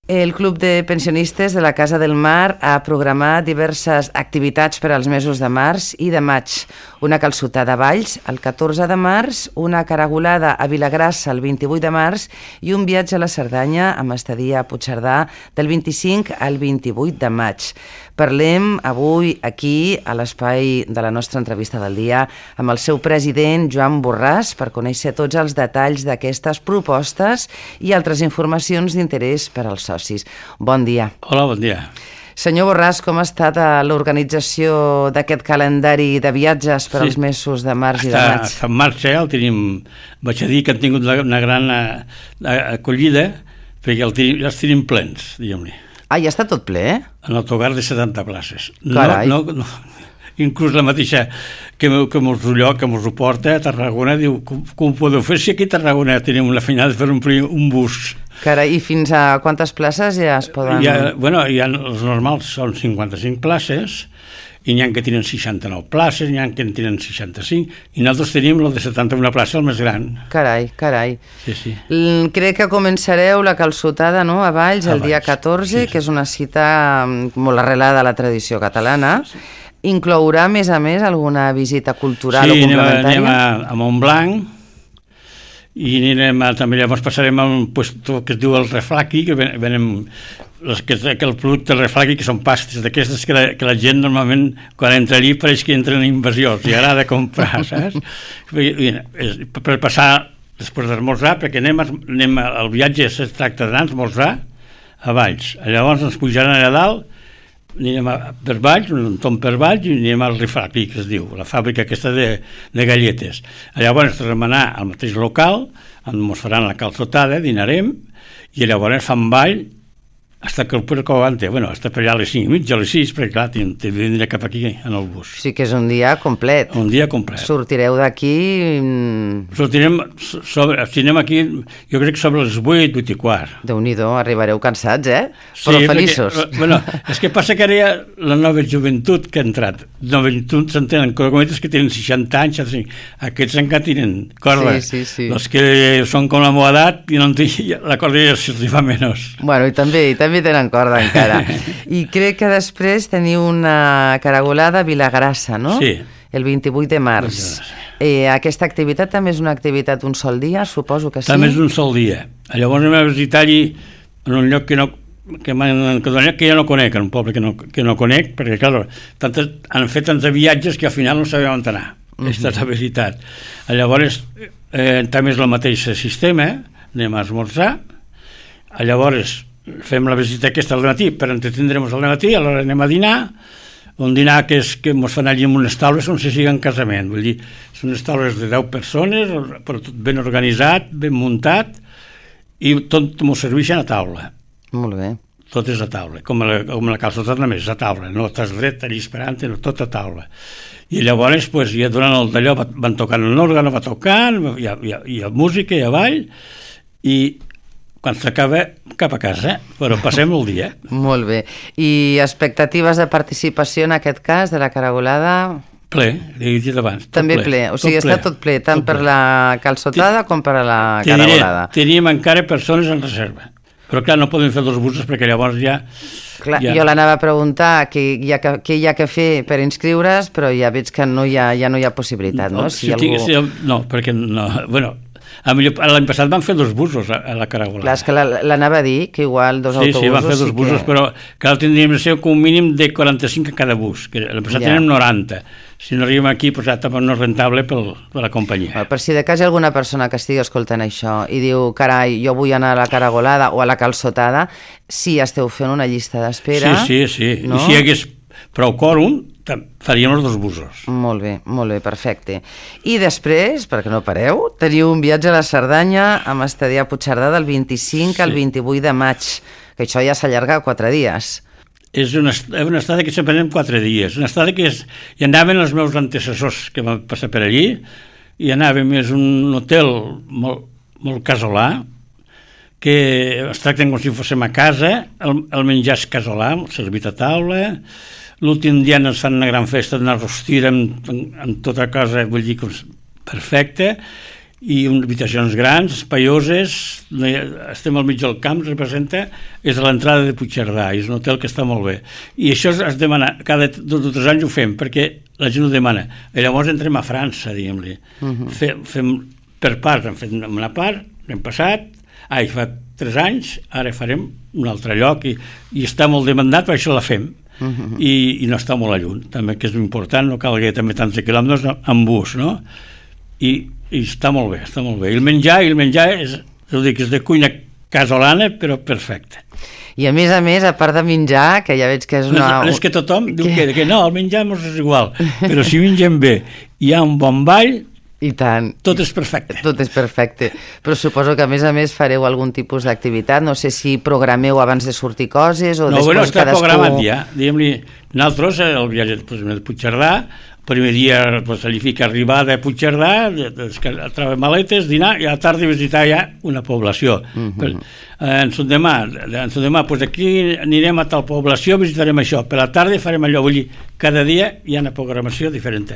El Club de Pensionistes de la Casa del Mar ha programat diverses activitats per als mesos de març i de maig. Una calçotada a Valls el 14 de març, una caragolada a Vilagrassa el 28 de març i un viatge a la Cerdanya amb estadia a Puigcerdà del 25 al 28 de maig. Parlem avui aquí, a l'espai de la nostra entrevista del dia, amb el seu president, Joan Borràs, per conèixer tots els detalls d'aquestes propostes i altres informacions d'interès per als socis. Bon dia. Hola, bon dia. Senyor Borràs, com ha estat l'organització d'aquest calendari de viatges per als mesos de març i de maig? Està en marxa, el tenim, vaig a dir que han tingut una gran acollida, perquè els tenim plens, diguem-ne. Ah, ja està tot ple, eh? En autocar de 70 places. Carai. No, inclús la mateixa que mos ho porta a Tarragona diu, com podeu fer si aquí a Tarragona tenim una feinada per omplir un bus? Carai, i fins a quantes places ja es poden... Els normals són 55 places, i n'hi ha que tenen 69 places, n'hi ha que en tenen 65, i nosaltres tenim el de 71 places, el més gran. Carai. Sí. Crec que començareu la calçotada, no?, a Valls, el dia 14, que és una cita molt arrelada a la tradició catalana. Inclourà, a més, alguna visita cultural o complementària? Sí, anem a Montblanc, i també llavors passarem a un lloc que es diu el Refraqui, que venem el producte del Refraqui, que són pastes d'aquestes que la gent normalment quan entra allí pareix que entren en invasions i agrada comprar, saps? Per passar després d'esmorzar, perquè el viatge es tracta d'anar a esmorzar a Valls, llavors ens pujaran allà dalt, anirem per Valls, un tomb per Valls, i anirem al Refraqui, que es diu, la fàbrica aquesta de galletes. Llavors tornem a anar al mateix local, ens faran la calçotada, dinarem, i llavors fan ball fins que el puerco aguante, fins per allà a les 5:30, a les 6, perquè clar, t'he de venir cap aquí en el bus. Sí que és un dia complet. Un dia complet. Sortireu d'aquí... Sortirem aquí, jo crec que sobre les 8:15. Déu-n'hi-do, arribareu cansats, eh? Però feliços. És que passa que ara hi ha la nova joventut que ha entrat. Joventut s'entenen, cometes que tenen 60 anys, aquests encara tenen corda. Sí. Els que són com la meva edat, la corda ja se'ls fa menys. Bueno, i també tenen corda encara. I crec que després teniu una caragolada a Vilagrassa, no? Sí. El 28 de març. Aquesta activitat també és una activitat un sol dia, suposo que sí? També és un sol dia. Llavors anem a visitar-hi en un lloc que jo no conec, en un poble que no conec, perquè clar, han fet tants viatges que al final no sabem on anar. Aquesta és la veritat. Llavors també és el mateix sistema, anem a esmorzar, llavors fem la visita aquesta al matí per entretindre'ns al matí, aleshores anem a dinar, un dinar que ens fan allí en unes taules on se siga en casament, vull dir, són unes taules de 10 persones, però tot ben organitzat, ben muntat, i tot m'ho serveixen a taula. Molt bé. Tot és a taula, com la calçotada només, és a taula, no estàs dret allà esperant, no, tot a taula. I llavors, ja durant el d'allò van tocant l'òrgan, va tocant, hi ha música, hi ha ball, i quan s'acaba, cap a casa, però passem el dia. Molt bé. I expectatives de participació en aquest cas, de la caragolada? Ple, he dit abans. També ple, o sigui, està tot ple, tant per la calçotada com per a la caragolada. Teníem encara persones en reserva, però clar, no podem fer 2 busos perquè llavors ja... Clar, jo l'anava a preguntar què hi ha que fer per inscriure's, però ja veig que no hi ha possibilitat, no? No, perquè no... L'any passat van fer 2 busos a la caragolada. Clar, és que l'anava a dir, que igual 2 autobusos... Sí, van fer 2 busos, però que tindríem de ser com un mínim de 45 a cada bus, que l'any passat tenim 90. Si no arribem aquí, doncs també no és rentable per la companyia. Per si de cas hi ha alguna persona que estigui escoltant això i diu, carai, jo vull anar a la caragolada o a la calçotada, si esteu fent una llista d'espera... Sí. No? I si hi hagués prou quòrum, faríem els 2 busos. Molt bé, perfecte. I després, perquè no pareu, teniu un viatge a la Cerdanya amb estadia a Puigcerdà del 25 al 28 de maig, que això ja s'allarga 4 dies. És una estada que sempre anem 4 dies. Una estada que hi anaven els meus antecessors que van passar per allí, i anàvem, és un hotel molt casolà, que es tracten com si fóssim a casa, el menjar és casolà, servit a taula. L'últim dia ens fan una gran festa, una rostira amb tota cosa, vull dir, perfecta, i habitacions grans, espaioses, estem al mig del camp, representa, és a l'entrada de Puigcerdà, és un hotel que està molt bé. I això es demana, cada 2 o 3 anys ho fem, perquè la gent ho demana. I llavors entrem a França, diguem-li. Fem per parts, hem fet una part, l'hem passat, fa 3 anys, ara farem un altre lloc, i està molt demandat, per això la fem. I no està molt a lluny, també, que és important, no calgui també tants quilòmetres amb bus, no? I està molt bé, està molt bé. I el menjar és de cuina casolana, però perfecte. I a més, a part de menjar, que ja veig que és una... És que tothom diu que no, el menjar és igual, però si mengem bé i hi ha un bon ball, i tant. Tot és perfecte. Tot és perfecte. Però suposo que a més fareu algun tipus d'activitat, no sé si programeu abans de sortir coses o després està cadascú... programat ja. Diguem-li, nosaltres, el viatge de Puigcerdà, el primer dia allí fica arribada a Puigcerdà, treure maletes, dinar, i a la tarda visitar ja una població. L'endemà, aquí anirem a tal població, visitarem això, per la tarda farem allò, vull dir, cada dia hi ha una programació diferent.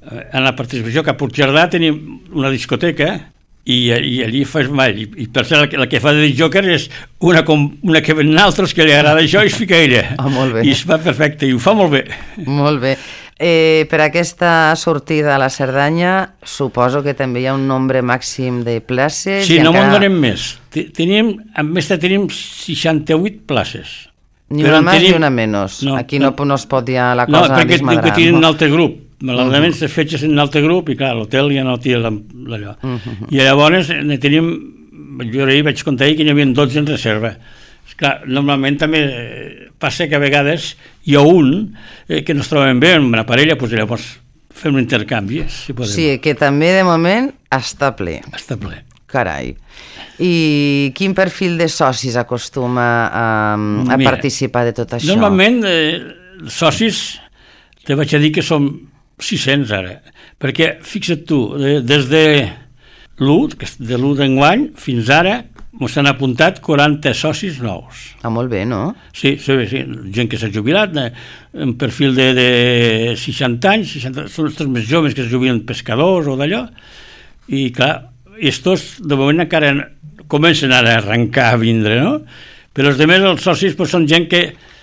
En la participació que a Puigcerdà tenim una discoteca i allí fas ball, i per cert la que fa de joker és una que ven altres que li agrada això i es fica ella, i es fa perfecte i ho fa molt bé. Molt bé. Per aquesta sortida a la Cerdanya suposo que també hi ha un nombre màxim de places. Sí, no me'n donem més. Tenim 68 places. Ni una més ni una menys. Aquí no es pot dir la cosa desmadrar. No, perquè tenen un altre grup. Malauradament se fetges en un altre grup i clar, l'hotel ja no té allò. I llavors tenim, jo ahir vaig comptar que n'hi havia 12 en reserva. Clar, normalment també passa que a vegades hi ha un que no es troben bé amb una parella, doncs llavors fem un intercanvi, si podem. Sí, que també de moment està ple. Està ple. Carai. I quin perfil de socis acostuma a participar de tot això? Normalment, socis, te vaig a dir que som 600 ara, perquè fixa't tu, des de l'1 d'enguany fins ara ens han apuntat 40 socis nous. Molt bé, no? Sí, gent que s'ha jubilat, un perfil de 60 anys, són els més joves que es jubilen pescadors o d'allò, i clar, estos de moment encara comencen ara a arrencar a vindre, no? Però els altres, els socis, són gent que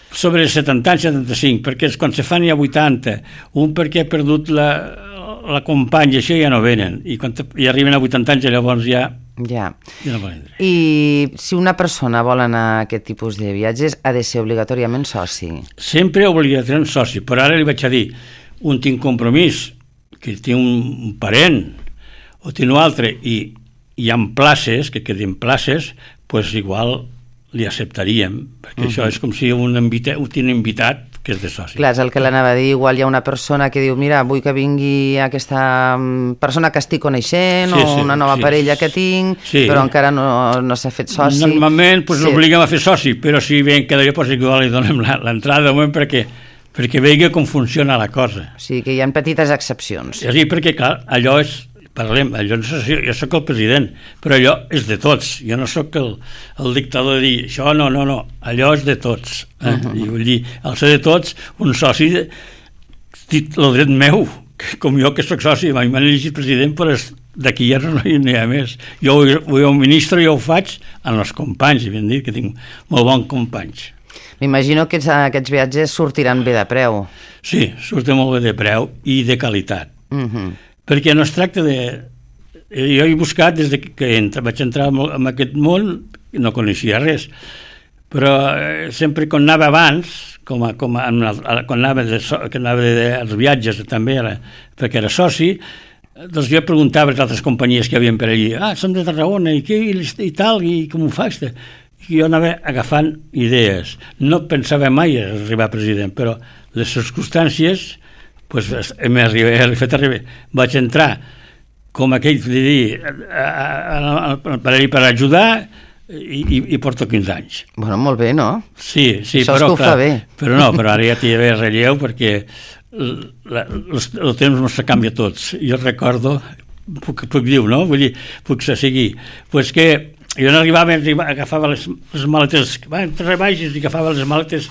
sobre 70 anys, 75, perquè quan se fan ja 80, un perquè ha perdut la companya, això ja no venen, i quan arriben a 80 anys llavors ja no poden entrar. I si una persona vol anar a aquest tipus de viatges ha de ser obligatòriament soci? Sempre obligatòriament soci, però ara li vaig a dir, un tinc compromís, que té un parent o té un altre, i hi ha places, que queden places, doncs igual li acceptaríem, perquè això és com si un invitat que és de soci. Clar, és el que l'anava a dir, igual hi ha una persona que diu, mira, vull que vingui aquesta persona que estic coneixent o una nova parella que tinc, però encara no s'ha fet soci. Normalment l'obliguem a fer soci, però si ven que d'allò igual li donem l'entrada de moment perquè vegi com funciona la cosa. O sigui que hi ha petites excepcions. Sí, perquè clar, allò és parlem, jo soc el president, però allò és de tots. Jo no soc el dictador de dir, això no, allò és de tots. I vull dir, al ser de tots, un soci, el dret meu, com jo que soc soci, m'han elegit president, però d'aquí ja no hi ha més. Jo un ministre jo ho faig amb els companys, i ben dit que tinc molt bons companys. M'imagino que aquests viatges sortiran bé de preu. Sí, surten molt bé de preu i de qualitat. Perquè no es tracta de... Jo he buscat des que vaig entrar en aquest món, no coneixia res, però sempre quan anava abans, quan anava als viatges també, perquè era soci, doncs jo preguntava a les altres companyies que hi havia per allà, som de Tarragona, i tal, i com ho fas? I jo anava agafant idees. No pensava mai arribar a president, però les circumstàncies vaig entrar com aquell de dir per ajudar i porto 15 anys. Bueno, molt bé, no? Sí, això és que ho fa bé. Però ara ja t'hi ve relleu perquè el temps no se canvia tots. Jo recordo, puc dir, no? Vull dir, puc seguir. Pues que jo no arribava, agafava les maletes, entre baixes i agafava les maletes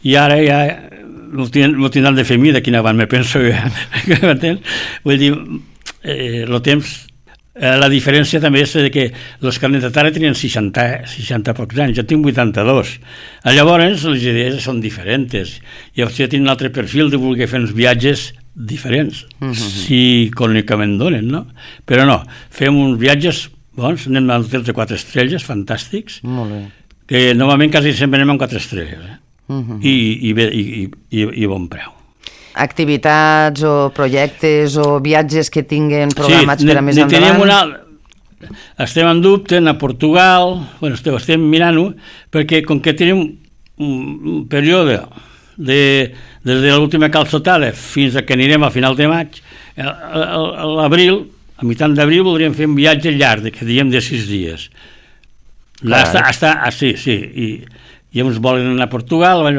i ara ja no tindran de fer mi d'aquí en avant, me penso ja. Vull dir, el temps La diferència també és que els carnets de tara tenien 60 pocs anys, jo tinc 82. Llavors les idees són diferents i jo tinc un altre perfil de voler fer uns viatges diferents, si econòmicament donen, no? Però no, fem uns viatges bons, anem a hotels de 4 estrelles, fantàstics, molt bé, que normalment quasi sempre anem amb 4 estrelles, i bon preu. Activitats o projectes o viatges que tinguen programats per a més endavant? Estem en dubte, a Portugal, estem mirant-ho, perquè com que tenim un període des de l'última calçotada fins a que anirem a final de maig, a l'abril, a mitjan d'abril voldríem fer un viatge llarg, que diem de 6 dies. Sí, i uns volen anar a Portugal, a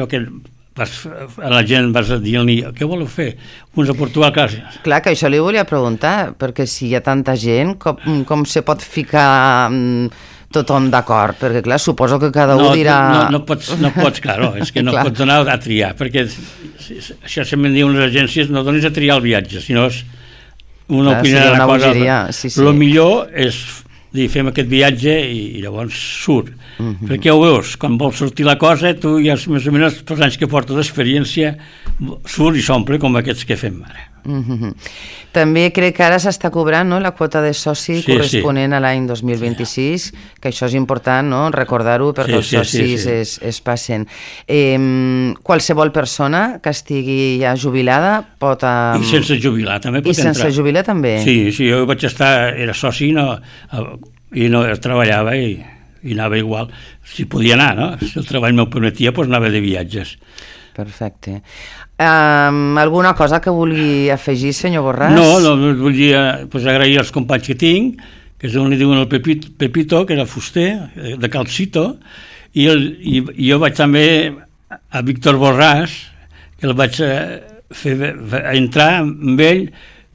la gent vas dir-li què voleu fer? Uns a Portugal, clar, que això li volia preguntar, perquè si hi ha tanta gent, com se pot ficar tothom d'acord? Perquè clar, suposo que cada un dirà... No pots, clar, és que no pots donar a triar, perquè això sempre en diuen les agències, no donis a triar el viatge, sinó una opinió de la cosa. El millor és dir, fem aquest viatge i llavors surt. Perquè ho veus, quan vols sortir la cosa, tu ja més o menys pels anys que portes d'experiència surt i s'omple com aquests que fem ara. També crec que ara s'està cobrant, no?, la quota de soci corresponent a l'any 2026, que això és important, no?, recordar-ho perquè els socis es passen. Qualsevol persona que estigui ja jubilada pot... I sense jubilar també pot entrar. I sense jubilar també? Sí, jo vaig estar, era soci i no treballava i anava igual. Si podia anar, no? Si el treball m'ho permetia, doncs anava de viatges. Perfecte. Alguna cosa que vulgui afegir, senyor Borràs? No, volia agrair als companys que tinc, que és on li diuen el Pepito, que era fuster, de Calcito, i jo vaig també a Víctor Borràs, que el vaig fer entrar amb ell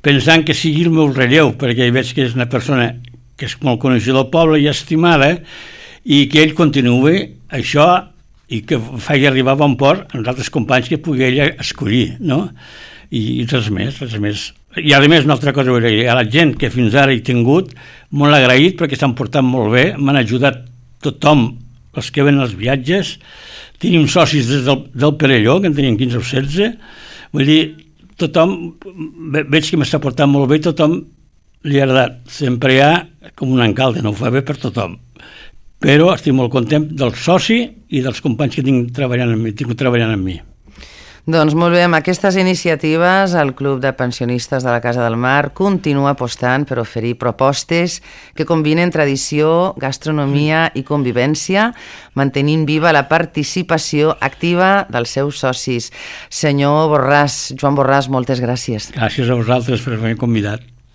pensant que sigui el meu relleu, perquè veig que és una persona que és molt coneixida del poble i estimada, i que ell continuï això i que faci arribar a bon port als altres companys que pugui ella escollir, no? I res més. I a més, una altra cosa, a la gent que fins ara he tingut, molt agraït perquè s'han portat molt bé, m'han ajudat tothom, els que ven als viatges, tenim socis des del Perelló, que en tenien 15 o 16, vull dir, tothom, veig que m'està portant molt bé, tothom li ha agradat. Sempre hi ha com un encalde, no ho fa bé per tothom. Però estic molt content del soci i dels companys que tinc treballant amb mi. Doncs molt bé, amb aquestes iniciatives el Club de Pensionistes de la Casa del Mar continua apostant per oferir propostes que combinen tradició, gastronomia i convivència, mantenint viva la participació activa dels seus socis. Senyor Borràs, Joan Borràs, moltes gràcies. Gràcies a vosaltres per haver-me convidat.